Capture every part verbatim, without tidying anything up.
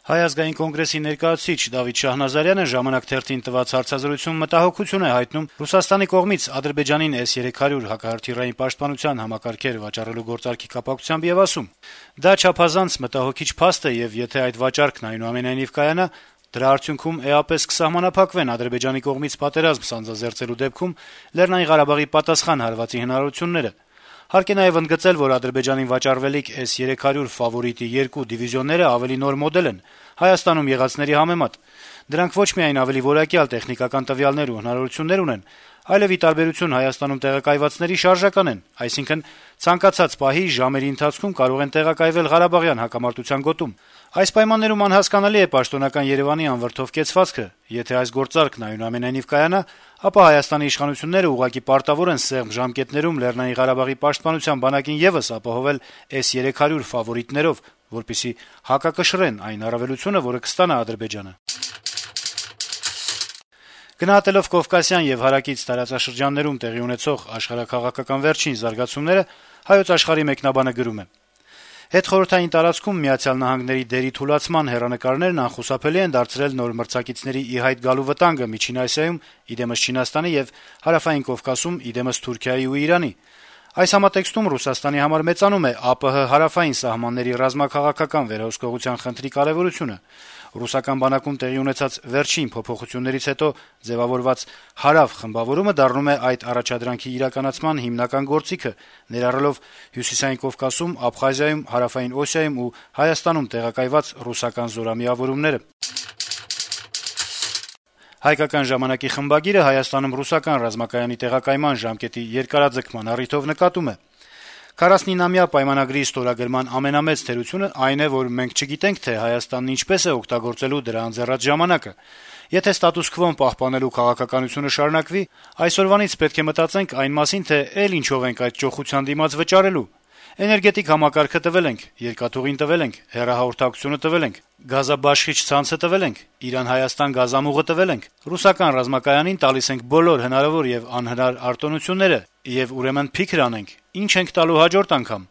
Հայ ազգային կոնգրեսի ներկայացուցիչ Դավիթ Շահնազարյանը «Ժամանակ» թերթին տված հարցազրույցում մտահոգություն է հայտնում Ռուսաստանի կողմից Ադրբեջանին էս երեք հարյուր հակահրթիռային պաշտպանության համակարգեր վաճառելու գործարքի կապակցությամբ եւ ասում. «Դա չափազանց մտահոգիչ փաստ է, եւ եթե այդ վաճառքն այնուամենայնիվ կայանա, դրա արդյունքում էապես կսահմանափակվեն Ադրբեջանի կողմից պատերազմ սանձազերծելու դեպքում Լեռնային Ղարաբաղի պատասխան հարվածի հնարավորությունները։ Հարկ է նաեւ ընդգծել, որ Ադրբեջանին վաճառվելիք էս երեք հարյուր ֆավորիտի երկու դիվիզիոնները ավելի նոր մոդել են Հայաստանում եղածների համեմատ։ Դրանք ոչ միայն ավելի որակյալ տեխնիկական տվյալներ ու հնարավորություններ ունեն, այլեւ ի տարբերություն Հայաստանում տեղակայվածների շարժական են, այսինքն ցանկացած պահի ժամերի ընթացքում կարող են տեղակայվել Ղարաբաղյան հակամարտության գոտում։ Այս պայմաններում անհասկանալի է պաշտոնական Երեւանի անվրդով կեցվածքը։ Եթե այս գործարքն այնուամենայնիվ կայանա, ապա Հայաստանի իշխանությունները ուղղակի պարտավոր են սեղմ ժամկետներում Լեռնային Ղարաբաղի պաշտպանության բանակին եւս ապահովել էս երեք հարյուր ֆավորիտներով, որպեսզի հակակշռեն այն առավելությունը, որը կստանա Ադրբեջանը»։ Գնահատելով Կովկասյան եւ հարակից տարածաշրջաններում տեղի ունեցող աշխարհաքաղաքական վերջին զարգացումները, Հայոց Աշխարհի մեկնաբանը գրում է. «Հետխորհրդային տարածքում Միացյալ Նահանգների դերի թուլացման հեռանկարներն անխուսափելի են դարձրել նոր մրցակիցների ի հայտ գալու վտանգը Միջին Ասիայում, իդեմս Չինաստանի եւ Հարավային Կովկասում, իդեմս Թուրքիայի ու Իրանի։ Այս համատեքստում Ռուսաստանի համար մեծանում է ԱՊՀ հարավային սահմանների ռազմաքաղաքական վերահսկողության խնդրի կարեւորությունը։ Ռուսական բանակում տեղի ունեցած վերջին փոփոխություններից հետո ձեւավորված հարավ խմբավորումը դառնում է այդ առաջադրանքի իրականացման հիմնական գործիքը, ներառելով Հյուսիսային Կովկասում, Աբխազիայում, Հարավային Օսիայում ու Հայաստանում տեղակայված ռուսական զորամիավորումները»։ «Հայկական ժամանակ»-ի խմբագիրը Հայաստանում ռուսական ռազմակայանի տեղակայման ժամկետի երկարաձգման առիթով նկատում է. «քառասունինամյա պայմանագրի ստորագրման ամենամեծ թերությունը այն է, որ մենք չգիտենք, թե Հայաստանն ինչպես է օգտագործելու դրա ընձեռած ժամանակը։ Եթե ստատուս քվոն պահպանելու քաղաքականությունը շարունակվի, այսօրվանից պետք է մտածենք այն մասին, թե էլ ինչով ենք այդ ճոխության դիմաց վճարելու։ Էներգետիկ համակարգը տվել ենք, երկաթուղին տվել ենք, հեռահաղորդակցությունը տվել ենք, գազաբաշխիչ ցանցը տվել ենք, Իրան-Հայաստան գազամուղը տվել ենք։ Ռուսական ռազմակայանին տալիս ենք բոլոր հնարավոր եւ անհնար արտոնությունները, եւ ուրեմն փիքր անենք, ինչ ենք տալու հաջորդ անգամ»։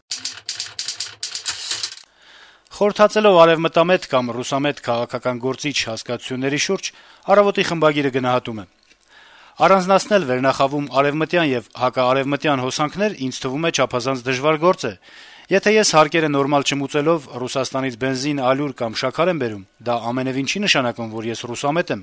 Խորհրդածելով արեւմտամետ կամ ռուսամետ քաղաքական գործիչ հասկացությունների շուրջ «Առավոտ»-ի խմբագիրը գնահատում է. «Առանձնացնել վերնախավում արեւմտյան եւ հակաարեւմտյան հոսանքներ ինձ թվում է չափազանց դժվար գործ է։ Եթե ես հարկերը նորմալ չմուծելով Ռուսաստանից բենզին, ալյուր կամ շաքար եմ բերում, դա ամենեւին չի նշանակում, որ ես ռուսամետ եմ,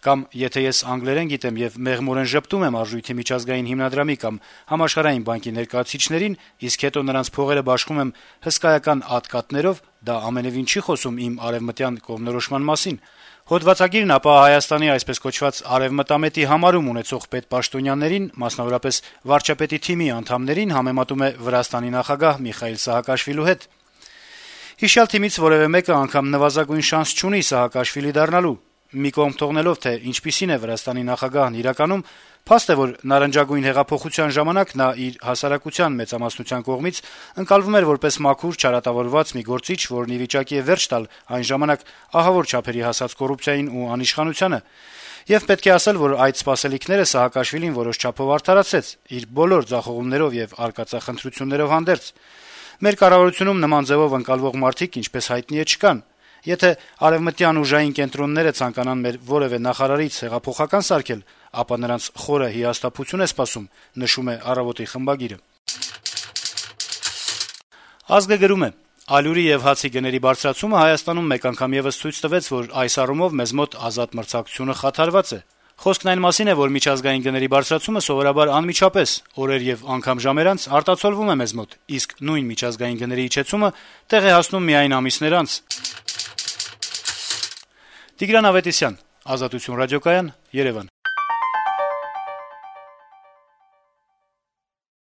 կամ եթե ես անգլերեն գիտեմ եւ մեղմորեն ժպտում եմ Արժույթի միջազգային հիմնադրամի կամ Համաշխարհային բանկի ներկայացուցիչներին, իսկ հետո նրանց փողերը բաշխում եմ հսկայական ատկատներով, դա ամենեւին չի խոսում իմ արեւմտյան կողմնորոշման մասին։ Հոդվածագիրն ապա Հայաստանի այսպես կոչված արեւմտամետի համարում ունեցող պետպաշտոնյաներին, մասնավորապես վարչապետի թիմի անդամներին համեմատում է Վրաստանի նախագահ Միխայիլ Սահակաշվիլու հետ։ Հիշյալ թիմից որեւէ մեկը անգամ նվազագույն շանս չունի Սահակաշվիլի դառնալու։ Մի կողմ թողնելով, թե ինչպիսին է Վրաստանի նախագահն իրականում, փաստ է, որ նարնջագույն հեղափոխության ժամանակ նա իր հասարակության մեծամասնության կողմից ընկալվում էր որպես մաքուր, չարատավորված մի գործիչ, որն ի վիճակի է վերջ տալ այն ժամանակ ահավոր չափերի հասած կոռուպցիային ու անիշխանությանը։ Եվ պետք է ասել, որ այդ սպասելիքները Սահակաշվիլին որոշ չափով արդարացրեց իր բոլոր ձախողումներով եւ արկածախնդրություններով հանդերձ։ Մեր կառավարությունում նման ձևով ընկալվող մարդիկ, ինչպես հայտնի է, չկան։ Եթե արևմտյան ուժային կենտրոնները ցանկանան մեր որեւէ նախարարից հեղափոխական սարքել, ապա նրանց խորը հիասթափություն է սպասում», նշում է «Առավոտ»-ի խմբագիրը։ «Ազգը» գրում է. «Ալյուրի եւ հացի գների բարձրացումը Հայաստանում մեկ անգամ եւս ցույց տվեց, որ այս առումով մեզ մոտ ազատ մրցակցությունը խաթարված է։ Խոսքն այն մասին է, որ միջազգային գների բարձրացումը սովորաբար անմիջապես, օրեր եւ անգամ ժամեր անց արտացոլվում է մեզ մոտ, իսկ նույն միջազգային գների իջեցումը տեղ է հասնում միայն ամիսներ անց»։ Տիգրան Ավետիսյան, Ազատություն ռադիոկայան, Երևան։